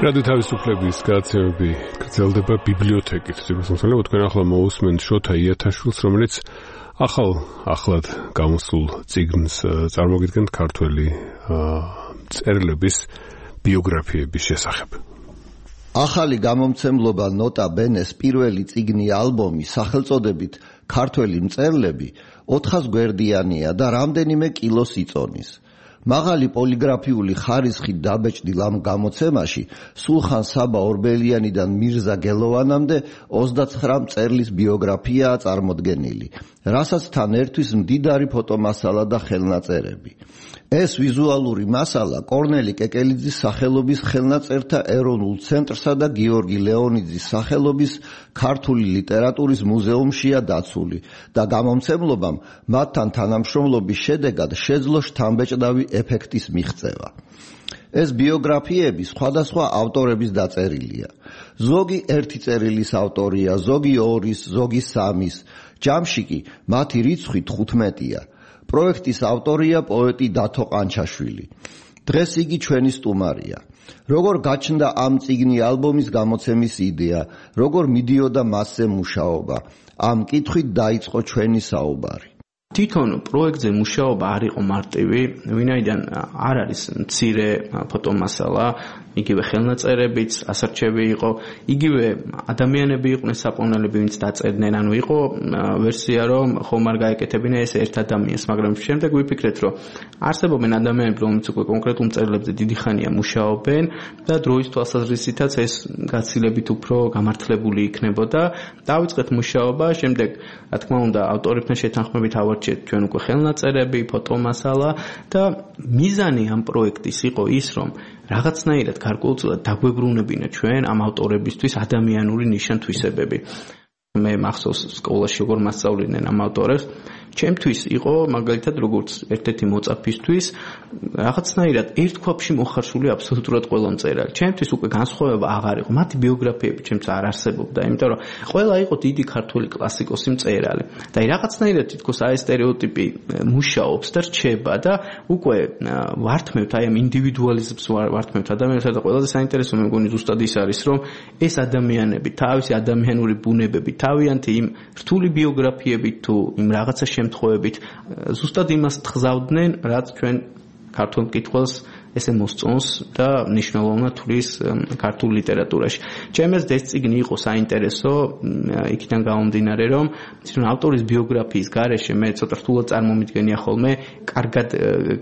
რადიო თავისუფლების გადაცემები გრძელდება ბიბლიოთეკით. თუმცა თქვენ ახლა მოусმენთ შოთა იათაშვილს, რომელიც ახლად გამოსულ წიგნს წარმოგიდგენთ ქართველი მწერლების ბიოგრაფიების შესახებ. ახალი გამომცემლობა ნოტა ბენეს პირველი წიგნი ალბომი სახელწოდებით ქართველი მწერლები 400 გვერდიანია და რამდენიმე კილოს იწონის. მაღალი პოლიგრაფიული ხარისხით დაბეჭდილ ამ გამოცემაში სულხან საბა ორბელიანიდან მირზა გელოვანამდე 29 მწერლის ბიოგრაფიაა წარმოდგენილი, რასაც თან ერთვის მდიდარი ფოტომასალა და ხელნაწერები. ეს ვიზუალური მასალა კორნელი კეკელიძის სახელობის ხელნაწერთა ეროვნულ ცენტრსა და გიორგი ლეონიძის სახელობის ქართული ლიტერატურის მუზეუმშია დაცული და გამომცემლობამ მათთან თანამშრომლობის შედეგად შეძლო შთამბეჭდავი ეფექტის მიღწევა. ეს ბიოგრაფიები სხვადასხვა ავტორების დაწერილია. ზოგი ერთი წერილის ავტორია, ზოგი ორის, ზოგი სამის, ჯამში კი მათი რიცხვი 15-ია. პროექტის ავტორია პოეტი დათო ყანჩაშვილი. დღეს იგი ჩვენი სტუმარია. როგორ გაჩნდა ამ წიგნი ალბომის გამოცემის იდეა, როგორ მიდიოდა მასზე მუშაობა, ამ კითხვით დაიწყო ჩვენი საუბარი. თვითონ პროექტზე მუშაობა არ იყო მარტივი, ვინაიდან არ არის მცირე ფოტომასალა, იგივე ხელნაწერებიც ასარჩევი იყო, იგივე ადამიანები იყვნენ საპონელები, ვინც დაწერდნენ, ანუ იყო ვერსია, რომ ხომ არ გაეკეთებინა ეს ერთ ადამიანს, მაგრამ შემდეგ ვიფიქრეთ, რომ არსებობენ ადამიანები, რომლებიც უკვე კონკრეტულ მწერლებზე დიდი ხანია მუშაობენ და დროის თვალსაზრისითაც ეს გაცილებით უფრო გამართლებული იქნებოდა. დავიწყეთ მუშაობა, შემდეგ რა თქმა უნდა ავტორებთან შეთანხმებით ავარჩიეთ ჩვენ უკვე ხელნაწერები, ფოტომასალა და მიზანი ამ პროექტის იყო ის, რომ რაღაცნაირად გარკვეულწილად დაგვებრუნებინა ჩვენ ამ ავტორებისთვის ადამიანური ნიშან-თვისებები. მე მახსოვს სკოლაში როგორ მასწავლიდნენ ამ ავტორებს. ჩემთვის იყო მაგალითად როგორც ერთ-ერთი მოწაფისთვის რაღაცნაირად ერთ ქვაბში მოხარშული აბსოლუტურად ყველა მწერალი. ჩემთვის უკვე განსხვავება აღარ იყო. მათი ბიოგრაფიები ჩემთვის არ არსებობდა, იმიტომ რომ ყველა იყო დიდი ქართული კლასიკოსი მწერალი. და რაღაცნაირად თითქოს აი სტერეოტიპი მუშაობს და რჩება და უკვე ვართმევთ აი ამ ინდივიდუალიზმს ვართმევთ ადამიანებს და ყველაზე საინტერესო მე მგონი ზუსტად ის არის, რომ ეს ადამიანები თავისი ადამიანური ბუნებები, თავიანთი იმ რთული ბიოგრაფიებით თუ იმ რაღაცა შემთხვევებით ზუსტად იმას თხზავდნენ, რაც ჩვენ ქართულ მკითხველს ესე მოსწონს და მნიშვნელოვნად თulis ქართულ ლიტერატურაში. ჩემს ეს წიგნი იყო საინტერესო იქიდან გამომდინარე, რომ თვითონ ავტორის ბიოგრაფიის გარეშე მე ცოტა რთულად წარმომიდგენია ხოლმე კარგად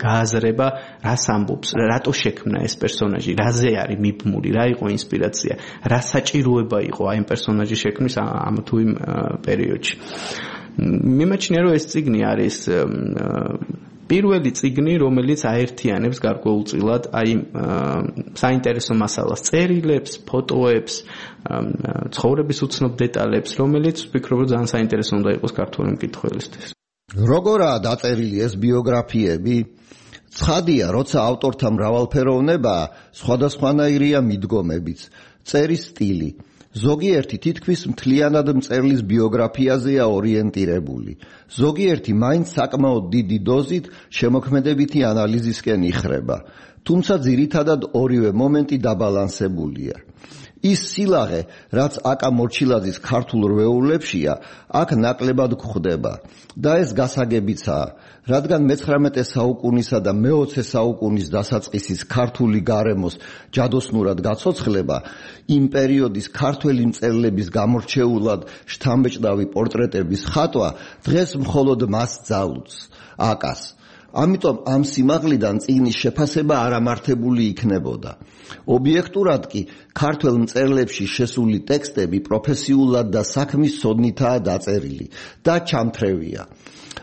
გააზრება, რას ამბობს, რატო შექმნა ეს პერსონაჟი, რაზე არის მიბმული, რა იყო ინსპირაცია, რა საჭიროება იყო აი ამ პერსონაჟის შექმნის ამ თუ იმ პერიოდში. მიმაჩნია, რომ ეს წიგნი არის პირველი წიგნი, რომელიც აერთიანებს გარკვეულწილად აი საინტერესო მასალას, წერილებს, ფოტოებს, ცხოვრების უცნობ დეტალებს, რომელიც ვფიქრობ, რომ ძალიან საინტერესო უნდა იყოს ქართული მკითხველისთვის. როგორაა დაწერილი ეს ბიოგრაფიები? ცხადია, როცა ავტორთა მრავალფეროვნებაა, სხვადასხვანაირია მიდგომებიც, წერის სტილი. ზოგიერთი თითქმის მთლიანად მწერლის ბიოგრაფიაზეა ორიენტირებული. ზოგიერთი მაინც საკმაოდ დიდი დოზით შემოქმედებითი ანალიზისკენ იხრება. თუმცა ძირითადად ორივე მომენტი დაბალანსებულია. ის სილაღე, რაც აკა მორჩილაძის ქართულ რვეულებშია, აქ ნაკლებად გვხვდება და ეს გასაგებიცაა, რადგან მე-19 საუკუნისა და მე-20 საუკუნის დასაწყისის ქართული გარემოს ჯადოსნურად გაცოცხლება, იმ პერიოდის ქართველი მწერლების გამორჩეულად შთამბეჭდავი პორტრეტების ხატვა დღეს მხოლოდ მას ძალუძს, აკას. ამიტომ ამ სიმაღლიდან წიგნის შეფასება არამართებული იქნებოდა. ობიექტურად კი ქართველ მწერლებში შესული ტექსტები პროფესიულად და საქმის ცოდნითაა დაწერილი და ჩამთრევია.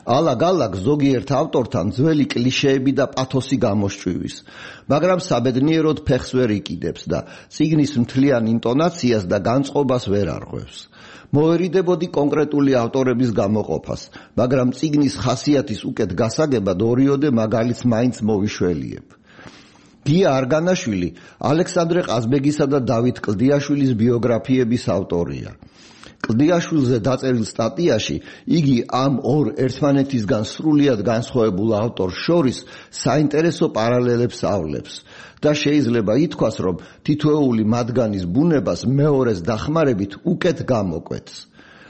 ალაგ-ალაგ ზოგიერთ ავტორთან ძველი კლიშეები და პათოსი გამოსჭვივის, მაგრამ საბედნიეროდ ფეხს ვერ იკიდებს და წიგნის მთლიან ინტონაციას და განწყობას ვერ არღვევს. მოერიდებოდი კონკრეტული ავტორების გამოყოფას, მაგრამ წიგნის ხასიათის უკეთ გასაგებად ორიოდე მაგალითს მაინც მოვიშველიებ. გია არგანაშვილი ალექსანდრე ყაზბეგისა და დავით კლდიაშვილის ბიოგრაფიების ავტორია. კლდიაშვილზე დაწერილ სტატიაში იგი ამ ორ ერთმანეთისგან სრულიად განსხვავებულ ავტორს შორის საინტერესო პარალელებს ავლებს და შეიძლება ითქვას, რომ თითოეული მათგანის ბუნებას მეორეს დახმარებით უკეთ გამოკვეთს.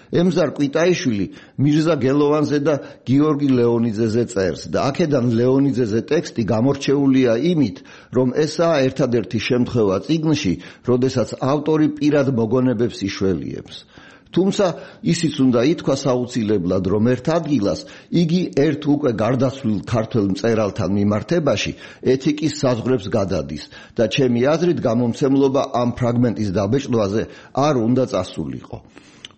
ემზარ კვიტაიშვილი მირზა გელოვანზე და გიორგი ლეონიძეზე წერს და აქედან ლეონიძეზე ტექსტი გამორჩეულია იმით, რომ ესაა ერთადერთი შემთხვევა წიგნში, როდესაც ავტორი პირად მოგონებებს იშველიებს. თუმცა ისიც უნდა ითქვას აუცილებლად, რომ ერთ ადგილას იგი ერთ უკვე გარდაცვლილ ქართველ მწერალთან მიმართებაში ეთიკის საზღვრებს გადადის და ჩემი აზრით გამომცემლობა ამ ფრაგმენტის დაბეჭდვაზე არ უნდა წასულიყო.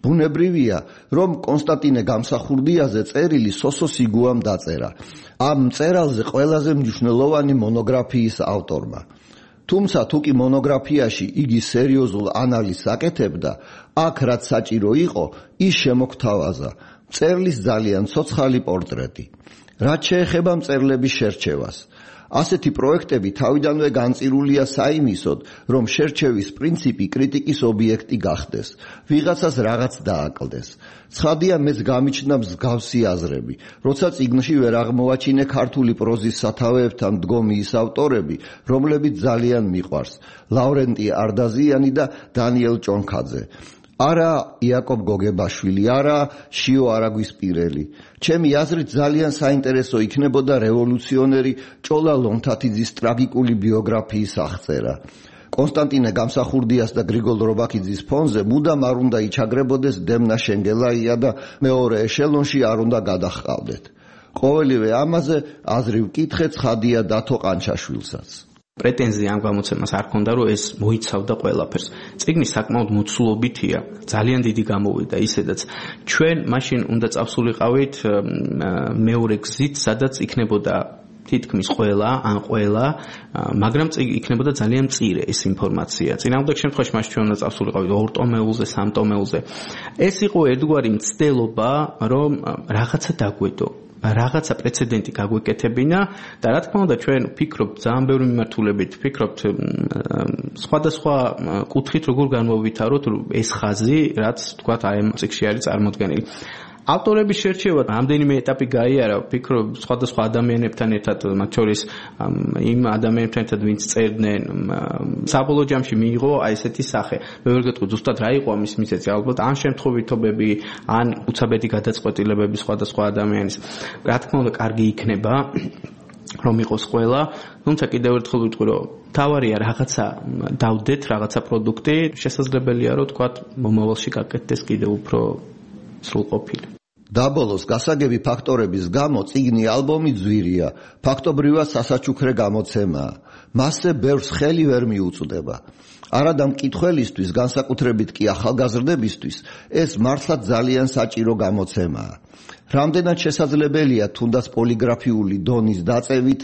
ბუნებრივია, რომ კონსტანტინე გამსახურდიაზე წერილი სოსო სიგუამ დაწერა. ამ მწერალზე ყველაზე მნიშვნელოვანი მონოგრაფიის ავტორმა. თუმცა თუ კი მონოგრაფიაში იგი სერიოზულ ანალიზს აკეთებდა, აქ რაც საჭირო იყო, ის შემოგთავაზა. მწერლის ძალიან ცოცხალი პორტრეტი. რაც შეეხება მწერლების შერჩევას. ასეთი პროექტები თავიდანვე განწირულია საიმისოდ, რომ შერჩევის პრინციპი კრიტიკის ობიექტი გახდეს, ვიღაცას რაღაც დააკლდეს. ცხადია, მეც გამიჩნდა მსგავსი აზრები, როცა წიგნში ვერ აღმოვაჩინე ქართული პროზის სათავეებთან მდგომი ის ავტორები, რომლებიც ძალიან მიყვარს: ლავრენტი არდაზიანი და დანიელ ჭონქაძე. არა იაკობ გოგებაშვილი, არა შიო არაგვისპირელი. ჩემი აზრით ძალიან საინტერესო იქნებოდა რევოლუციონერი ჭოლა ლომთათიძის ტრაგიკული ბიოგრაფიის აღწერა. კონსტანტინე გამსახურდიას და გრიგოლ რობაქიძის ფონზე მუდამ არ უნდა იჩაგრებოდეს დემნა შენგელაია და მეორე ეშელონში არ უნდა გადაჰყავდეთ. ყოველივე ამაზე აზრი ვკითხე ცხადია დათო ყანჩაშვილსაც. პრეტენზია ამ გამოცემას არ ქონდა, რომ ეს მოიცავდა ყველაფერს. წიგნი საკმაოდ მოცულობითია, ძალიან დიდი გამოვიდა ისედაც. ჩვენ მაშინ უნდა წავსულიყავით მეორე გზით, სადაც იქნებოდა თითქმის ყველა, მაგრამ იქნებოდა ძალიან მწირე ეს ინფორმაცია. წინააღმდეგ შემთხვევაში მაშინ ჩვენ უნდა წავსულიყავით 2 ტომეულზე, 3 ტომეულზე. ეს იყო ერთგვარი მცდელობა, რომ რაღაცა დაგვედო. რაღაცა პრეცედენტი გაგვეკეთებინა და რა თქმა უნდა ჩვენ ვფიქრობთ ძალიან ბევრი მიმართულებით, ვფიქრობთ სხვადასხვა კუთხით როგორ განვავითაროთ ეს ხაზი, რაც თქვათ აი ამ წიგნში არის წარმოდგენილი. ავტორების შერჩევა რამდენიმე ეტაპი გაიარა, ვფიქრობ სხვადასხვა ადამიანებთან ერთად, მათ შორის იმ ადამიანებთან ერთად, ვინც წერდნენ, საბოლოო ჯამში მიიღო აი ესეთი სახე. მე ვერ გეტყვი ზუსტად რა იყო ამის მიზეზი, ალბათ ან შემთხვევითობები, ან უცაბედი გადაწყვეტილებები სხვადასხვა ადამიანის. რა თქმა უნდა, კარგი იქნება რომ იყოს ყველა, თუმცა კიდევ ერთხელ ვიტყვი, რომ თავარია რაღაცა დავდეთ, რაღაცა პროდუქტი, შესაძლებელია რომ თქვათ მომავალში გაკეთდეს კიდევ უფრო სრულყოფილი. დაბოლოს გასაგები ფაქტორების გამო წიგნი ალბომი ძვირია, ფაქტობრივად სასაჩუქრე გამოცემაა. მასზე ბევრს ხელი ვერ მიუწვდება. არადა მკითხველისთვის, განსაკუთრებით კი ახალგაზრდებისთვის, ეს მართლაც ძალიან საჭირო გამოცემაა. რამდენად შესაძლებელია თუნდაც პოლიგრაფიული დონის დაწევით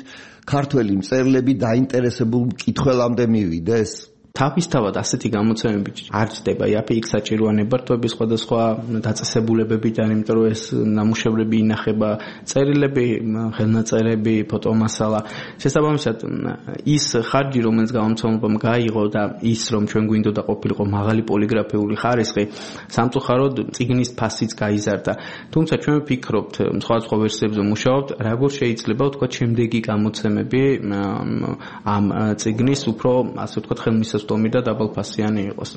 ქართველი მწერლები დაინტერესებულ მკითხველამდე მივიდეს? თავისთავად ასეთი გამოცემები არ ჩდება იაფი საჭიროა ნებართვების სხვადასხვა დაწესებულებებიდან, იმიტომ რომ ეს ნამუშევრები ინახება, წერილები, ხელნაწერები, ფოტომასალა. შესაბამისად, ის ხარჯი, რომელიც გამომცემლობამ გაიღო და ის, რომ ჩვენ გვინდოდა ყოფილიყო მაღალი პოლიგრაფიული ხარისხი, სამწუხაროდ წიგნის ფასიც გაიზარდა. თუმცა ჩვენ ვფიქრობთ, სხვადასხვა ვერსიებზე მუშაობთ, როგორ შეიძლება ვთქვათ შემდეგი გამოცემები ამ წიგნის უფრო, ასე ვთქვათ, ხელმისაწვდომი და დაბალფასიანი იყოს.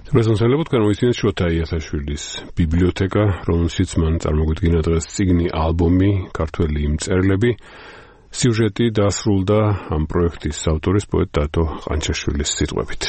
პრეზენტაცია განვიცინეთ შოთა იასაშვილის ბიბლიოთეკა, რომელშიც მან წარმოგვიდგინა დღეს წიგნი ალბომი ქართველი მწერლები. სიუჟეტი დასრულდა ამ პროექტის ავტორის პოეტ დათო ყანჩაშვილის სიტყვებით.